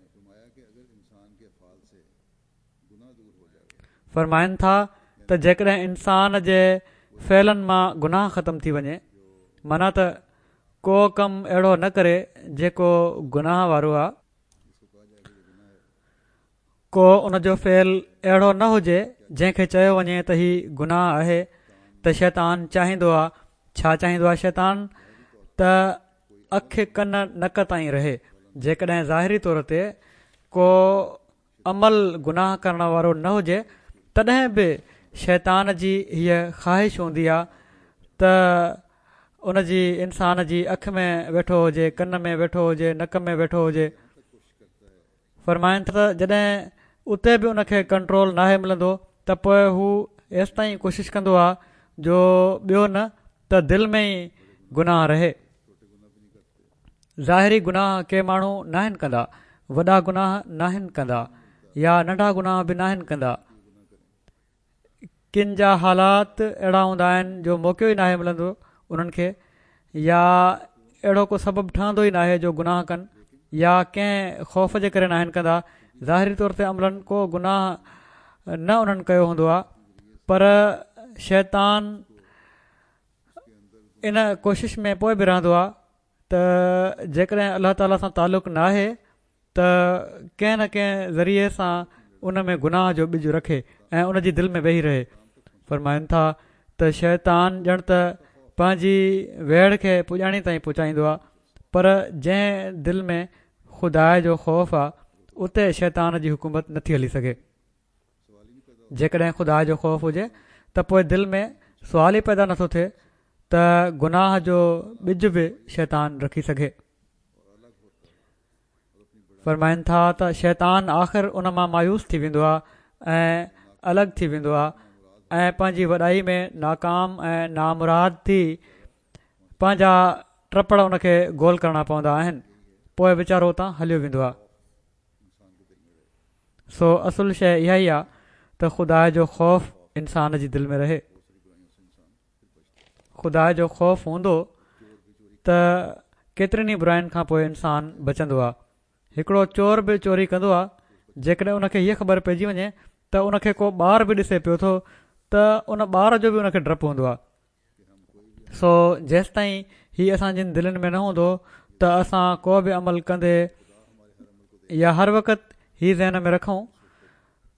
فرمائن ٿا ته جيڪڏهن انسان جي فعلن مان گناهه ختم ٿي وڃي معنيٰ ته ڪو ڪم اهڙو نه ڪري جيڪو گناهه وارو آ، ڪو ان جو فعل اهڙو نه هجي جنهن کي چيو وڃي ته هي گناهه آهي ته شيطان چاهيندو آ، ڇا چاهيندو آ شيطان ته اک ڪن نڪ تائين رهي جيڪڏهن ظاهري طور تي ڪو عمل گناهه ڪرڻ وارو نه هجي تڏهن به شيطان جي هيء خواهش هوندي آ ته ان جي انسان جي اک ۾ ويٺو هجي ڪن ۾ ويٺو هجي نڪ ۾ ويٺو هجي فرمائن ٿا ته جڏهن اتي به ان کي ڪنٽرول ناهي ملندو ته پوء هو ايستائين ڪوشش ڪندو آ جو ٻيو نه ته دل ۾ ئي گناهه رهي. ظاهري گناهه ڪي ماڻهو ناهن ڪندا، وڏا گناهه ناهن ڪندا يا ننڍا گناهه به ناهن ڪندا. ڪن جا حالات اهڙا هوندا آهن جو موقعو ئي ناهي ملندو انهن کي يا اهڙو ڪو سبب ٺهندو ئي ناهي جو گناهه ڪن يا ڪنهن خوف جي ڪري ناهن ڪندا ظاهري طور تي عملاً ڪو گناهه نه انهن ڪيو هوندو آهي پر شيطان ان ڪوشش ۾ پوء به رهندو آهي ته جيڪڏهن الله تعالي سان تعلق ناهي ته ڪنهن نه ڪنهن ذريعي سان ان ۾ گناهه جو ٻج رکي ۽ ان جي دل ۾ ويهي رهي. فرمائن ٿا ته شيطان ڄڻ ته پنهنجي ويڙهه کي پڄاڻي تائين پهچائيندو آهي پر جنهن دل ۾ خدا جو خوف آهي اتي شيطان جي حڪومت نٿي هلي سگهي. جيڪڏهن خدا جو خوف هجي ته پوء دل ۾ سوال ئي پيدا نٿو ٿئي ته گناهه جو ٻج به شيطان رکي سگهي. فرمائن ٿا ته شيطان آخر ان مان مايوس ٿي ويندو آهي ۽ الڳ ٿي ويندو آهي ۽ پنهنجي وڏائي ۾ ناڪام ۽ نامراد ٿي پنهنجا ٽپڙ ان کي گول ڪرڻا پوندا آهن پوء ويچارو اتان هليو ويندو آهي سو اصل شيء اها ئي آهي ته خدا جو خوف انسان جي دل ۾ رهي خدا جو خوف هوندو ته ڪيترين ئي براين کان پوء انسان بچندو آهي. هڪڙو چور به چوري ڪندو آهي، جيڪڏهن ان کي هيء خبر پئجي وڃي ته ان کي ڪو ٻار به ڏسي پيو ٿو ته ان ٻار جو به ان کي ڊپ هوندو آهي. سو جيستائين هي اسان جن دلين ۾ نه هوندو ته اسان ڪو به عمل ڪندي يا هر وقت هي ذهن ۾ رکون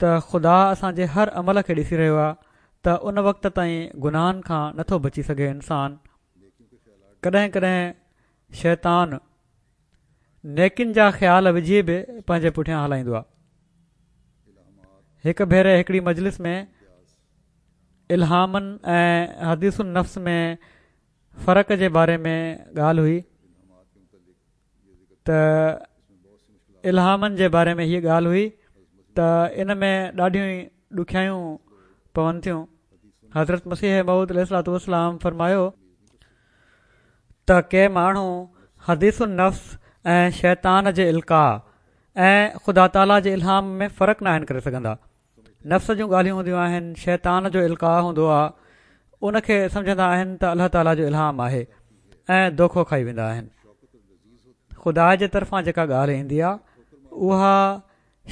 ته خدا اسان جي هر عمل کي ڏسي رهيو آهي ته ان وقت تائين گناهن کان نٿو بچي سگهي انسان ڪڏهن ڪڏهن شيطان نيڪين جا خيال وجهي به پنهنجي پٺيان هلائيندو آهي هڪ ڀيري هڪڙي مجلس ۾ الهامن ۽ حديث النفس ۾ فرق جي باري ۾ ڳالهه هئي ته الهامن جي باري ۾ هيء ڳالهه هئي ته ان ۾ ڏاڍيون ئي ڏکيائيون پون ٿيون. حضرت مسيح موعود عليه الصلوة والسلام فرمايو ته ڪي ماڻهو حديث النفس ۽ شيطان جي القاء ۽ خدا تعاليٰ جي الهام ۾ فرق ناهن ڪري سگهندا. نفس جون ڳالهيون هونديون آهن، شيطان جو القاء هوندو آهي، ان کي سمجهندا آهن ته الله تعاليٰ جو الهام آهي ۽ دوکو کائي ويندا آهن. خدا جي طرفان جيڪا ڳالهه ايندي آهي اها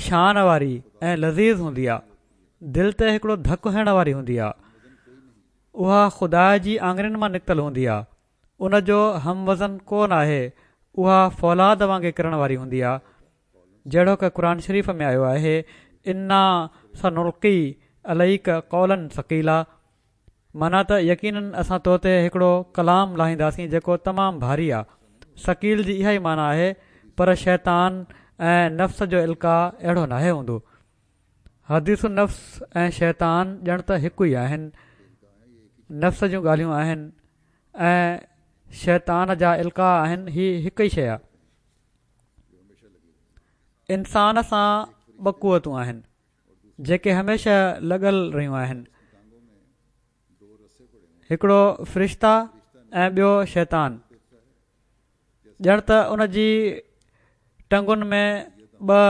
شان واري ۽ لذيذ هوندي آهي، دل تي هڪڙو ڌڪ هڻڻ واري هوندي آهي، اها خدا جي آڱرين مان نڪتل هوندي آهي، ان جو هم وزن ڪو ناهي، اها فولاد وانگي ڪرڻ واري هوندي آهي. جهڙوڪ قرآن شريف ۾ آيو آهي، انا سنلقي عليڪ قولا ثقيلا معنيٰ ته يقيناً اسان تو تي هڪڙو ڪلام لاهينداسين جيڪو تمام ڀاري آ. ثقيل جي اها ئي معنيٰ آهي، پر شيطان ۽ نفس جو القاء اهڙو ناهي هوندو. حديث النفس ۽ شيطان ڄڻ ته هڪ ئي آهن. نفس جون ڳالهيون آهن ۽ شيطان جا القاء آهن هي هڪ ئي شيء آهي. انسان سان ٻه قوتون آهن جيڪي هميشه لڳل رهيون آهن. هڪڙو فرشتا ۽ ٻيو شيطان. ڄڻ ته ان جي ٽنگن ۾ ٻه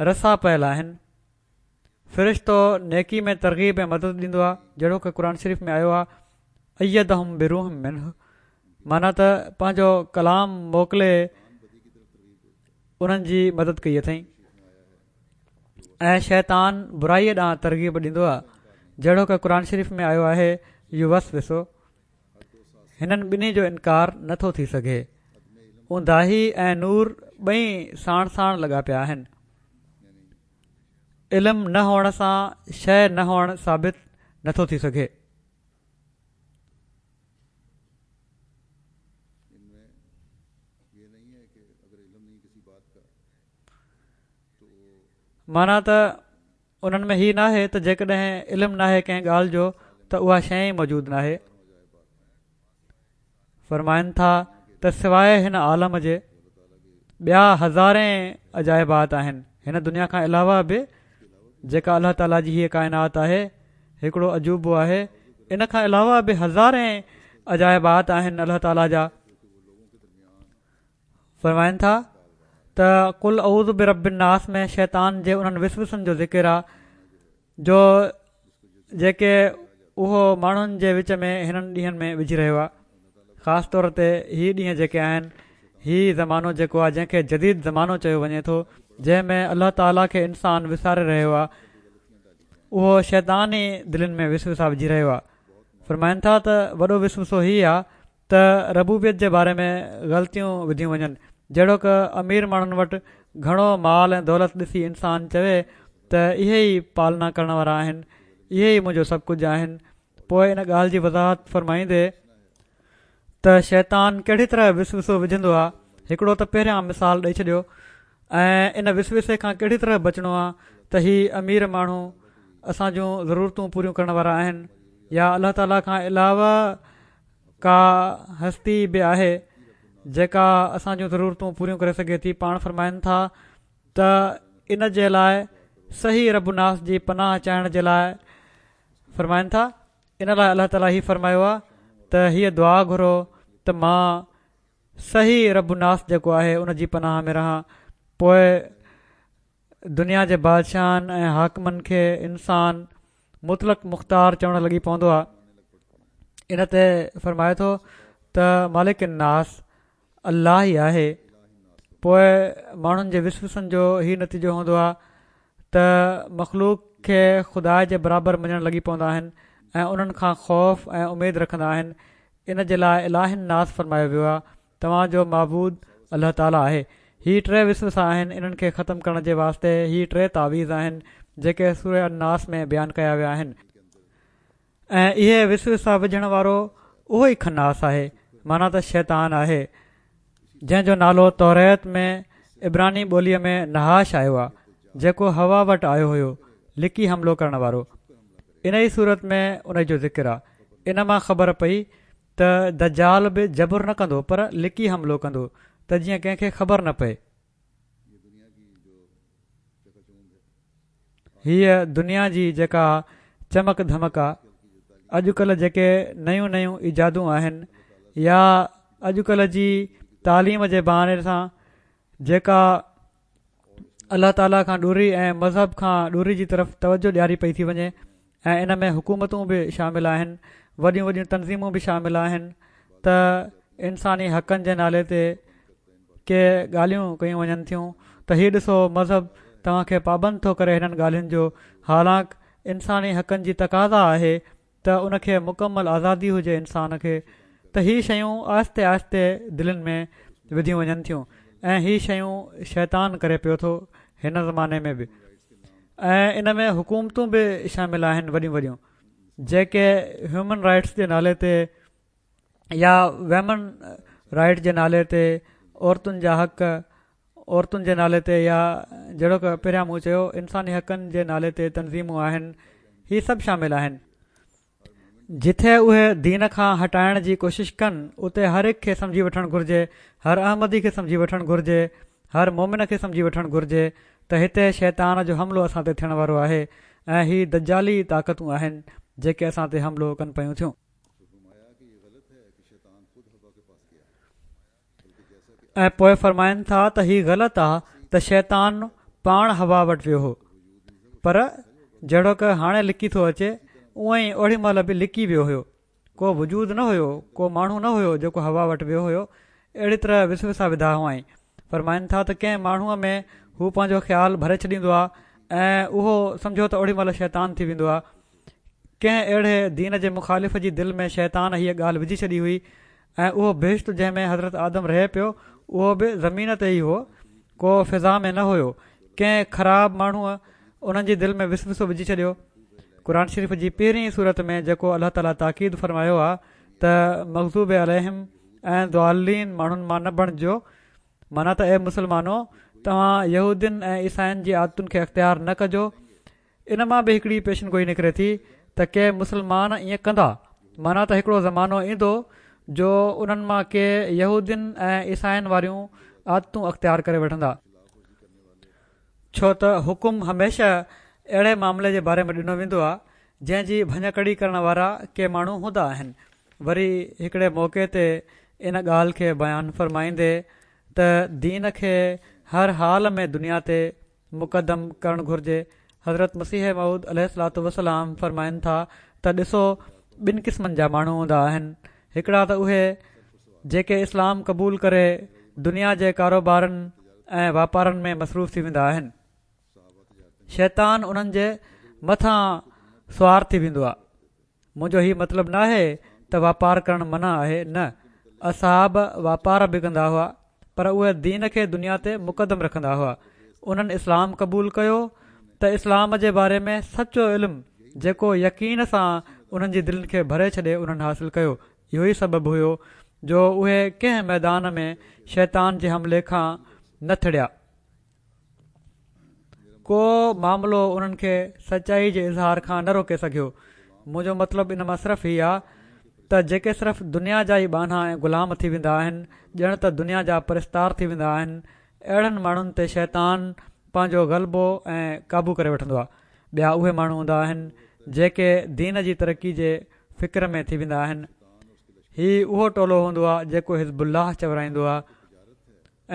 رسا پيل آهن. فرشتو نيڪي ۾ ترغيب ۽ مدد ڏيندو آهي جهڙوڪ قرآن شريف ۾ آيو آهي ايدهم بروح منه معنيٰ ته پنهنجو ڪلام موڪلي انهن جي مدد ڪئي اٿئين ۽ شيطان برائي ڏانهن ترغيب ڏيندو آهي جهڙوڪ قرآن شريف ۾ آيو آهي يوسوس هنن ٻنهي جو انڪار نٿو ٿي سگهي اونداهي ۽ نور ٻئي ساڻ ساڻ لڳا پيا آهن علم نه هئڻ سان شيء نه هئڻ ثابت نٿو ٿي سگهي. معنيٰ ته انهن ۾ هي ناهي ته جيڪڏهن علم ناهي ڪنهن ڳالهه جو ته اها شيء ئي موجود ناهي. فرمائن ٿا ته سواء هن عالم جي ٻيا هزارين عجائبات آهن هن دنيا کان علاوه به جيڪا الله تعالي جي هيء ڪائنات آهي هڪڙو عجوبو آهي ان کان علاوه به هزارين عجائبات آهن الله تعالي جا فرمائن ٿا ته قل اعوذ برب الناس ۾ شيطان جي انهن وسوسن جو ذڪر آ جو جيڪي اهو ماڻهن جي وچ ۾ هنن ڏينهن ۾ وجهي رهيو آهي خاص طور تي هي ڏينهن جيڪي آهن هي زمانو جيڪو آهي جنهن کي جديد زمانو چيو وڃي ٿو جنهن ۾ الله تعاليٰ کي انسان وساري رهيو آهي اهو شيطان ئي دلين ۾ وسوسا وجهي رهيو آهي فرمائن ٿا ته وڏو وسوسو هي آهي ته ربوبيت جي باري ۾ غلطيون وڌيون وڃن، جهڙوڪ امير ماڻهن وٽ گهڻو مال ۽ دولت ڏسي انسان چوي ته اهي ئي پالنا ڪرڻ وارا آهن، اهي ئي منهنجو سڀ ڪجهه آهن، پوء ان ڳالهه جي وضاحت فرمائيندي ته شيطان ڪهڙي طرح وسوسو وجهندو آهي، هڪڙو ته پهريان مثال ڏئي ڇڏيو ۽ ان وسوسي کان ڪهڙي طرح بچڻو آهي ته هي امير ماڻهو اسان جون ضرورتون پوريون ڪرڻ وارا آهن يا الله تعاليٰ کان علاوه ڪا هستي به آهي جيڪا اسان جون ضرورتون پوريون ڪري سگهي ٿي پاڻ فرمائن ٿا ته ان جي لاء صحيح رب الناس جي پناهه چاهڻ جي لاء فرمائن ٿا ان لاء الله تعاليٰ هي فرمايو آهي ته هيء دعا گهرو ته مان صحيح رب الناس جيڪو آهي ان جي پناهه ۾ رهان پوء دنيا جي بادشاهن ۽ حاڪمن کي انسان مطلق مختار چوڻ لڳي پوندو آهي ان تي فرمائي ٿو ته مالڪ الناس الله ئي آهي پوء ماڻهن جي وسوسن جو هي نتيجو هوندو آهي ته مخلوق کي خدا جي برابر مڃڻ لڳي پوندا آهن ۽ انهن کان خوف ۽ اميد رکندا آهن ان جي لاء اله الناس فرمايو ويو آهي توهان جو معبود الله تعالي آهي. هي ٽي وسوسا آهن انهن کي ختم ڪرڻ جي واسطي هي ٽي تعويذ آهن جيڪي سوره الناس ۾ بيان ڪيا ويا آهن ۽ اهي وسوسا وجهڻ وارو اهو ئي خناس آهي معنيٰ ته شيطان آهي جنهن جو نالو توريت ۾ عبراني ٻوليء ۾ نحاش آيو آهي جيڪو حوا وٽ آيو هيو لڪي حملو ڪرڻ وارو انهي سورت ۾ انهي جو ذڪر آهي ان مان خبر پئي ته دجال به جبر نه ڪندو پر لڪي حملو ڪندو ته جيئن ڪنهن کي خبر نه پئي. هيء دنيا جي جيڪا چمڪ ڌمڪ آ، اڄڪلهه جيڪي نيون نيون ايجادون آهن يا اڄڪلهه جي تعليم جي بهاني سان جيڪا الله تعاليٰ کان ڏوري ۽ مذهب کان ڏوري جي طرف توجه ڏياري پئي ٿي وڃي ۽ ان ۾ حڪومتون به شامل آهن وڏيون وڏيون تنظيمون به شامل آهن ته انساني حقن جي نالي تي ڪي ڳالهيون ڪيون وڃن ٿيون ته هي ڏسو مذهب توهان کي پابند ٿو ڪري هنن ڳالهين جو حالانڪ انساني حقن جي تقاضا آهي ته ان کي مڪمل آزادي هجي انسان کي ته هي شيون آهستي آهستي دلين ۾ وڌيون وڃن ٿيون ۽ هي شيون شيطان ڪري پيو ٿو هن زماني ۾ به ۽ ان ۾ حڪومتون به شامل آهن وڏيون وڏيون جيڪي هيومن رائٽس جي نالي تي يا ويمن رائٽ جي نالي تي عورتن جا حق عورتن جي نالي تي يا جهڙوڪ پهريان مون چيو انساني حقن جي نالي تي تنظيمون آهن هي سڀ شامل آهن. جٿي اهي دين کان هٽائڻ جي ڪوشش ڪن اتي هر هڪ کي سمجهي وٺڻ گهرجي، هر احمدي کي سمجهي وٺڻ گهرجي، هر مومن کي سمجهي وٺڻ گهرجي ته هتي شيطان جو حملو اسان تي ٿيڻ وارو آهي ۽ هي دجالي طاقتون آهن جيڪي اسان تي حملو ڪن پيون ٿيون. ۽ پوء فرمائن ٿا ته هي غلط آ ته شيطان پاڻ حوا وٽ ويو هو پر جهڙوڪ هاڻي لڪي ٿو اچي اونئن ئي اوڏي مهل به لڪي ويو هيو ڪو وجود نه هيو ڪو ماڻهو نه هيو جيڪو حوا وٽ ويو هيو اهڙي طرح وسوسا وڌا هئائين فرمائن ٿا ته ڪنهن ماڻهوء ۾ هو پنهنجو خيال ڀري ڇڏيندو آ ۽ اهو سمجهو ته اوڏي مهل شيطان ٿي ويندو آ ڪنهن اهڙي دين جي مخالف جي دل ۾ شيطان هيء ڳالهه وجهي ڇڏي هئي ۽ اهو بهشت جنهن ۾ حضرت آدم رهي پيو اهو به زمين تي ئي هو ڪو فضا ۾ نه هيو ڪنهن خراب ماڻهوء انهن جي دل ۾ وسوسو وجهي ڇڏيو قرآن شريف جي پهرين سورت ۾ جيڪو الله تعاليٰ تاڪيد فرمايو آهي ته مغضوب عليهم ۽ ضالين ماڻهن مان نه بڻجو معنيٰ ته اي مسلمانو توهان يهودين ۽ عيسائين جي عادتن کي اختيار نه ڪجو ان مان به هڪڙي پيشن گوئي نڪري ٿي ته ڪي مسلمان ائين ڪندا، معنيٰ ته هڪڙو زمانو ايندو جو انهن مان ڪي يهودين ۽ عيسائين واريون عادتون اختيار ڪري وٺندا. ڇو ته حڪم هميشه اهڙي معاملي جي باري ۾ ڏنو ويندو آهي، جنهن جي ڀڃڪڙي ڪرڻ وارا ڪي ماڻهو هوندا آهن. وري هڪڙي موقعي تي ان ڳالهه کي بيان فرمائيندي ته دين کي هر حال ۾ دنيا تي مقدم ڪرڻ گهرجي. حضرت مسيح موعود عليه الصلوة والسلام فرمائن ٿا ته ڏسو ٻن قسمن جا ماڻهو هوندا آهن هڪڙا ته اهي جيڪي اسلام قبول ڪري دنيا جي ڪاروبارن ۽ واپارن ۾ مصروف ٿي ويندا آهن شيطان انهن جي مٿان سوار ٿي ويندو آهي منهنجو هي مطلب ناهي ته واپار ڪرڻ منع آهي، نه، اصحاب واپار به ڪندا هئا، پر اهي دين کي دنيا تي مقدم رکندا هئا. انهن اسلام قبول ڪيو ته اسلام جي باري ۾ سچو علم جيڪو يقين سان انهن جي دلين کي ڀري ڇڏي انهن حاصل ڪيو. اهو ئي سبب هيو جو اهي ڪنهن ميدان ۾ شيطان جي حملي کان نه ٿڙيا. ڪو معاملو انهن کي سچائي جي اظهار کان نه روڪي سگهيو. منهنجو مطلب ان مان صرف هي آ ته جيڪي صرف دنيا جا ئي ٻانها ۽ غلام ٿي ويندا آهن، ڄڻ ته دنيا جا پرستار ٿي ويندا آهن، اهڙن ماڻهن تي شيطان پنهنجو غلبو ۽ قابو ڪري وٺندو آ. ٻيا اهي ماڻهو هوندا آهن جيڪي دين جي ترقي جي فڪر ۾ ٿي ويندا آهن. هي اهو ٽولو هوندو آ جيڪو حزب الله چورائيندو آ.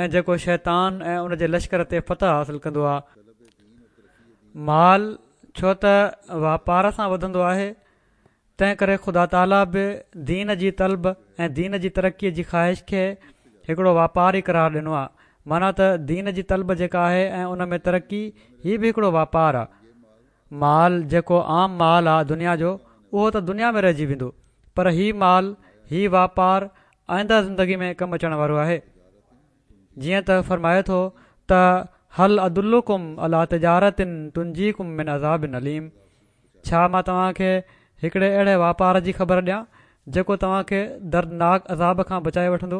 ۽ جيڪو شيطان ۽ ان جي لشڪر تي فتح حاصل ڪندو آهي. مال ڇو ته واپار سان وڌندو آهي، تنهن ڪري خدا تعاليٰ به دين جي طلب ۽ دين جي ترقيء جي خواهش کي هڪڙو واپار ئي قرار ڏنو آهي. معنيٰ ته دين جي طلب جيڪا آهي ۽ ان ۾ ترقي هي به هڪڙو واپار آهي. مال جيڪو عام مال آ دنيا جو اهو ته دنيا ۾ رهجي ويندو پر هي مال هي واپار آئنده زندگي ۾ ڪم اچڻ وارو آهي جيئن ته فرمائي ٿو ته هل ادلڪم علي تجارت تنجيڪم من عذاب اليم ڇا مان توهان کي هڪڙي اهڙي واپار جي خبر ڏيان جيڪو توهان کي دردناڪ عذاب کان بچائي وٺندو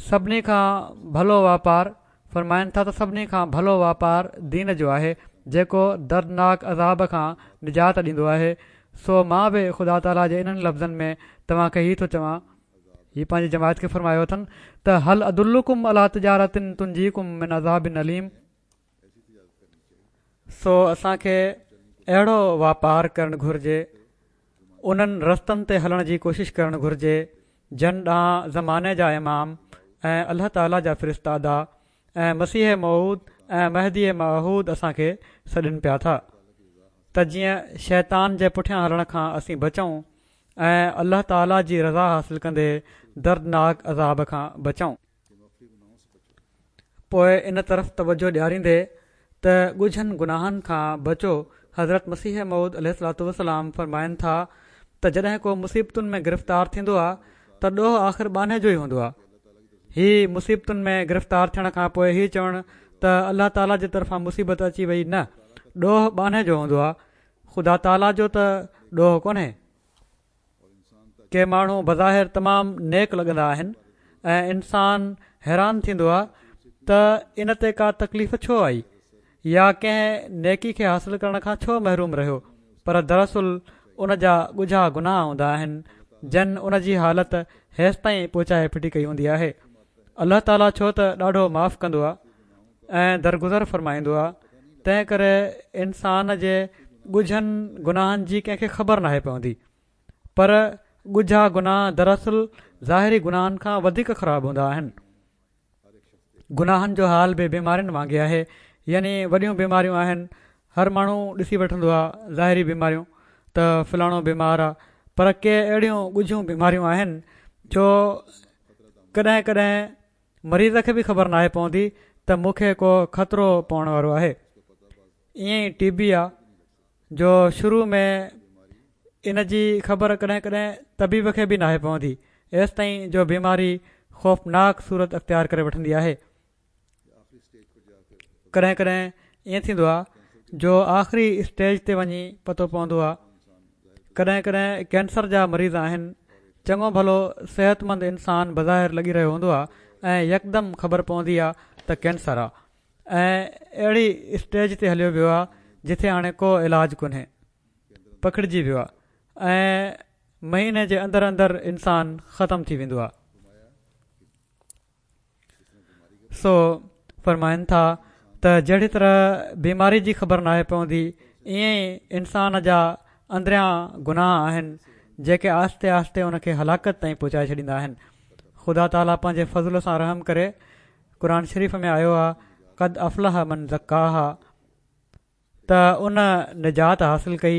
سڀني کان ڀلو واپار، فرمائن ٿا ته سڀني کان ڀلو واپار دين جو آهي، جيڪو دردناڪ عذاب کان نجات ڏيندو آهي، سو مان به خدا تعاليٰ جي انهن لفظن ۾ توهان کي هي ٿو چوان، هي پنهنجي جماعت کي فرمايو اٿن ته هل ادلڪم علي تجارة تنجيڪم من عذاب اليم. سو اسان کي اهڙو واپار ڪرڻ گهرجي، انهن رستن تي هلڻ جي ڪوشش ڪرڻ گهرجي جن ڏانهن زماني جا امام ۽ الله تعالي جا فرستادا ۽ مسيح موعود ۽ مهدي معهود اسان کي سڏين پيا ٿا ته جيئن شيطان جي پٺيان هلڻ کان اسين بچون ۽ الله تعالي جي رضا حاصل ڪندي دردناڪ عذاب کان بچون. پوء ان طرف توجه ڏياريندي ته ڳجهن گناهن کان بچو حضرت مسيح موعود عليه الصلوة والسلام فرمائن ٿا ته جڏهن ڪو مصيبتن ۾ گرفتار ٿيندو آهي ته ڏوهه آخر ٻانهي جو ئي هوندو آهي هي مصيبتن ۾ گرفتار ٿيڻ کان پوء هي چوڻ ته الله تعالي جي طرفان مصيبت اچي وئي نه ڏوهه ٻانهي جو هوندو آهي خدا تعالي جو ته ڏوهه ڪونهي. ڪي ماڻهو بظاهر تمام نيڪ لڳندا آهن ۽ انسان حيران ٿيندو آهي ته ان تي ڪا تڪليف ڇو آئي يا ڪنهن نيڪي کي حاصل ڪرڻ کان ڇو محروم رهيو پر دراصل ان جا ڳجها گناهه هوندا آهن جن ان جي حالت هيستائين پهچائي ڦٽي ڪئي هوندي آهي. الله تعاليٰ ڇو ته ڏاڍو معاف ڪندو آهي ۽ درگذر فرمائيندو آهي تنهن ڪري انسان جي ڳجهن گناهن جي ڪنهن کي خبر ناهي پوندي پر ڳجها گناهه دراصل ظاهري گناهن کان وڌيڪ خراب هوندا آهن. گناهن جو حال به بيمارين وانگي آهي يعني وڏيون بيماريون آهن هر ماڻهو ڏسي وٺندو آهي ظاهري بيماريون ته فلاڻو بيمار آهي پر ڪي اهڙيون ڳجهيون بيماريون آهن جو ڪڏهن ڪڏهن مريض کي به خبر ناهي پوندي ته مون کي ڪو خطرو پوڻ وارو آهي ائين ئي ٽي بي آ جو شروع ۾ ان جي خبر ڪڏهن ڪڏهن طبيب کي به ناهي پوندي ايستائين جو بيماري خوفناڪ صورت اختيار ڪري وٺندي آهي. ڪڏهن ڪڏهن ائين ٿيندو آهي جو آخري اسٽيج تي وڃي پتو پوندو آهي. ڪڏهن ڪڏهن ڪينسر جا مريض آهن چڱو ڀلو صحتمند انسان بظاهر لڳي رهيو هوندو آهي ۽ يڪدم خبر پوندي آهي ته ڪينسر آهي. ۽ اهڙي اسٽيج تي هليو ويو آهي جتي هاڻي ڪو علاج ڪونهي پکڙجي ويو آهي ۽ مهيني جي اندر اندر انسان ختم ٿي ويندو آهي سو فرمائن ٿا ته جهڙي طرح بيماري جي خبر ناهي پوندي ائين ئي انسان جا اندريان گناهه آهن جيڪي آهستي آهستي ان کي هلاڪت تائين پهچائي ڇڏيندا آهن خدا تعاليٰ پنهنجي فضل سان رحم ڪري قرآن شريف ۾ آيو آهي قد افلح من زڪاها ته ان نجات حاصل ڪئي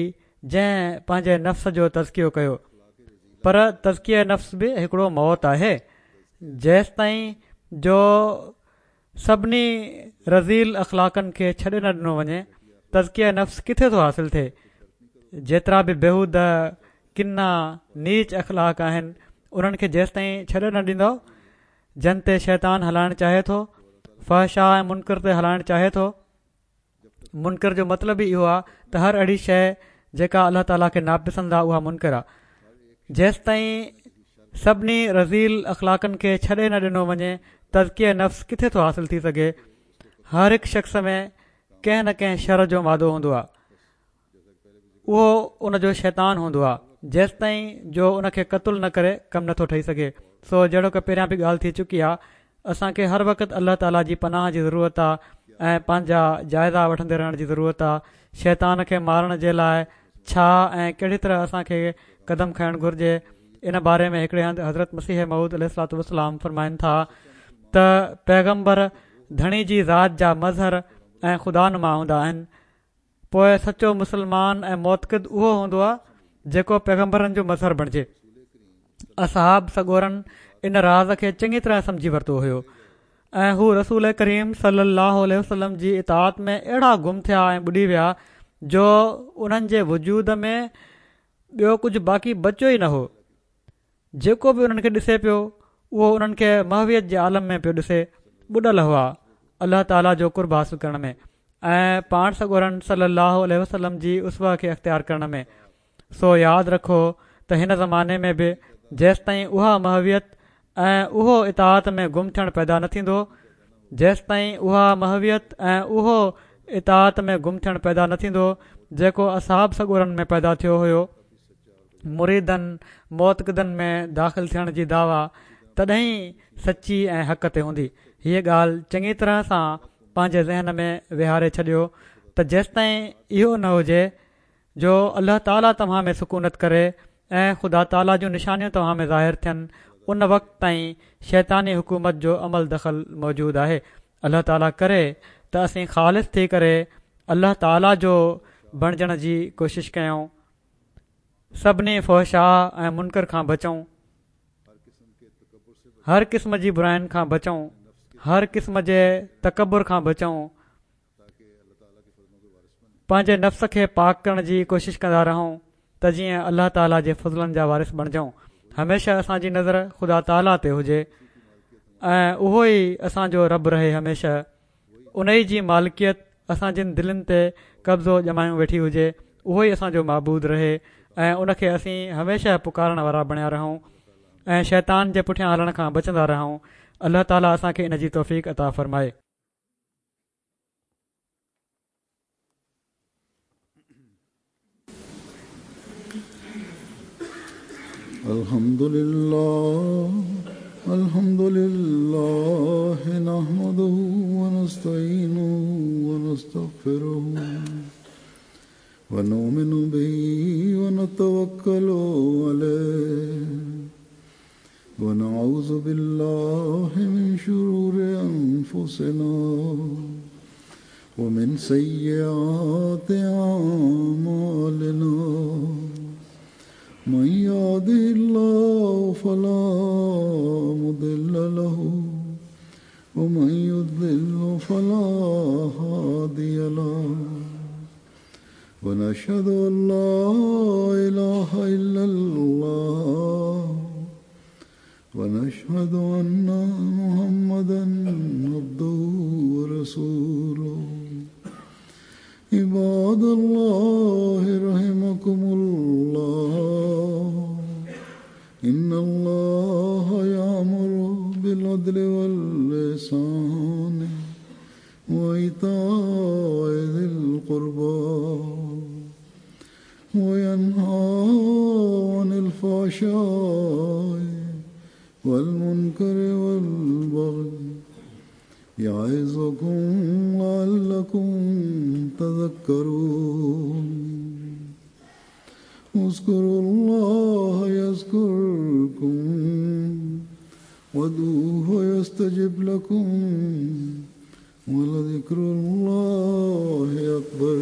جنهن پنهنجي نفس جو تزڪيو ڪيو پر تزڪيه نفس به هڪڙو موت آهي جيستائين جو سڀني رذيل اخلاقن کي ڇڏي نه ڏنو وڃي تزڪيه نفس ڪٿي ٿو حاصل ٿئي جيترا به بيهوده ڪنا نيچ اخلاق آهن انهن کي جيستائين ڇڏي نه ڏيندو جن تي شيطان هلائڻ چاهي ٿو، فحشاء ۽ منڪر تي هلائڻ چاهي ٿو. منڪر جو مطلب ئي اهو آهي ته هر اهڙي شيء جيڪا الله تعاليٰ کي ناپسند آهي اها منڪر آهي. جيستائين سڀني رذيل اخلاقن کي ڇڏي نه ڏنو وڃي تزڪيه نفس ڪٿي ٿو حاصل ٿي سگهي. هر هڪ شخص ۾ ڪنهن نه ڪنهن شر جو مادو هوندو آهي. اهو ان جو شيطان هوندو آهي، جيستائين جو ان کي قتل نه ڪري ڪم نٿو ٺهي سگهي. سو جهڙوڪ پهريان به ڳالهه ٿي چڪي آهي، اسان کي هر وقت الله تعاليٰ جي پناهه جي ضرورت آهي ۽ پنهنجا جائزا وٺندي رهڻ جي ضرورت آهي. شيطان کي مارڻ جي لاء ڇا ۽ ڪهڙي طرح اسان کي قدم کڻڻ گهرجي، ان باري ۾ هڪڙي هنڌ حضرت مسيح موعود عليه الصلوة والسلام فرمائن ٿا ته پيغمبر ڌڻي جي ذات جا مظهر ۽ خدا نما هوندا آهن، پوء سچو مسلمان ۽ معتقد اهو هوندو آهي جيڪو پيغمبرن جو مظهر بڻجي. اصحاب سڳورن ان راز کي چڱي طرح سمجهي ورتو هيو ۽ هو رسول ڪريم صلي الله عليه وسلم جي اطاعت ۾ اهڙا گم ٿيا ۽ ٻڏي ويا جو انهن جي وجود ۾ ٻيو ڪجهه باقي بچيو ئي نه هو. جيڪو به انهن کي ڏسي پيو اهو انهن کي محويت جي عالم ۾ پيو ڏسي ٻڏل هئا الله تعاليٰ جو قرب حاصل ڪرڻ ۾ ۽ پاڻ سڳورن صلي الله عليه وسلم جي اسوه کي اختيار ڪرڻ ۾ سو ياد رکو ته هن زماني ۾ به جيستائين اها محويت ۽ اهو اطاعت ۾ گم ٿيڻ پيدا نه ٿيندو جيستائين اها محويت ۽ اهو اطاعت ۾ گم ٿيڻ پيدا نه ٿيندو جيڪو اصحاب سڳورن ۾ پيدا ٿيو هيو مريدن، معتقدن ۾ داخل ٿيڻ جي دعويٰ تڏهن ئي سچي ۽ حق تي هوندي. هيء ڳالهه چڱي طرح سان پنهنجي ذهن ۾ ويهاري ڇڏيو ته جيستائين اهو نه هجي جو الله تعاليٰ توهان ۾ سڪونت ڪري ۽ خدا تعاليٰ جون نشانيون توهان ۾ ظاهر ٿين ان وقت تائين شيطاني حڪومت جو عمل دخل موجود آهي. الله تعاليٰ ڪري ته اسين خالص ٿي ڪري الله تعاليٰ جو بڻجڻ جي ڪوشش ڪيون. سڀني فحشاء ۽ منڪر کان بچون، هر قسم جي براين کان بچون، هر قسم جي تڪبر کان بچون، پنهنجي نفس کي پاڪ ڪرڻ جي ڪوشش ڪندا رهون ته جيئن الله تعالي جي فضلن جا وارث بڻجون، هميشه اسان جي نظر خدا تعالي تي هجي ۽ اهو ئي اسان جو رب رهي هميشه. انهي جي مالڪيت اسان جن دلين تي قبضو ڄمايون ويٺي هجي، اهو ئي اسان جو معبود رهي ۽ ان کي اسين هميشه پڪارڻ وارا بڻيا رهون ۽ شيطان جي پٺيان هلڻ کان بچندا رهون. الله تعالي اسان کي ان جي توفيق عطا فرمائي. الحمد لله الحمد لله نحمده ونستعينه ونستغفره ونؤمن به ونتوكل عليه ونعوذ بالله من شرور أنفسنا ومن سيئات أعمالنا من يهده الله فلا مضل له ومن يضلل فلا هادي له ونشهد أن لا إله إلا الله ونشهد أن محمدا عبده ورسوله. عباد الله رحمكم الله، إن الله يأمر بالعدل والإحسان وإيتاء ذي القربى وينهى عن الفحشاء والمنكر والبغي يعظكم لعلكم تذكرون. اذكروا الله يذكركم وادعوه يستجب لكم ولذكر الله أكبر.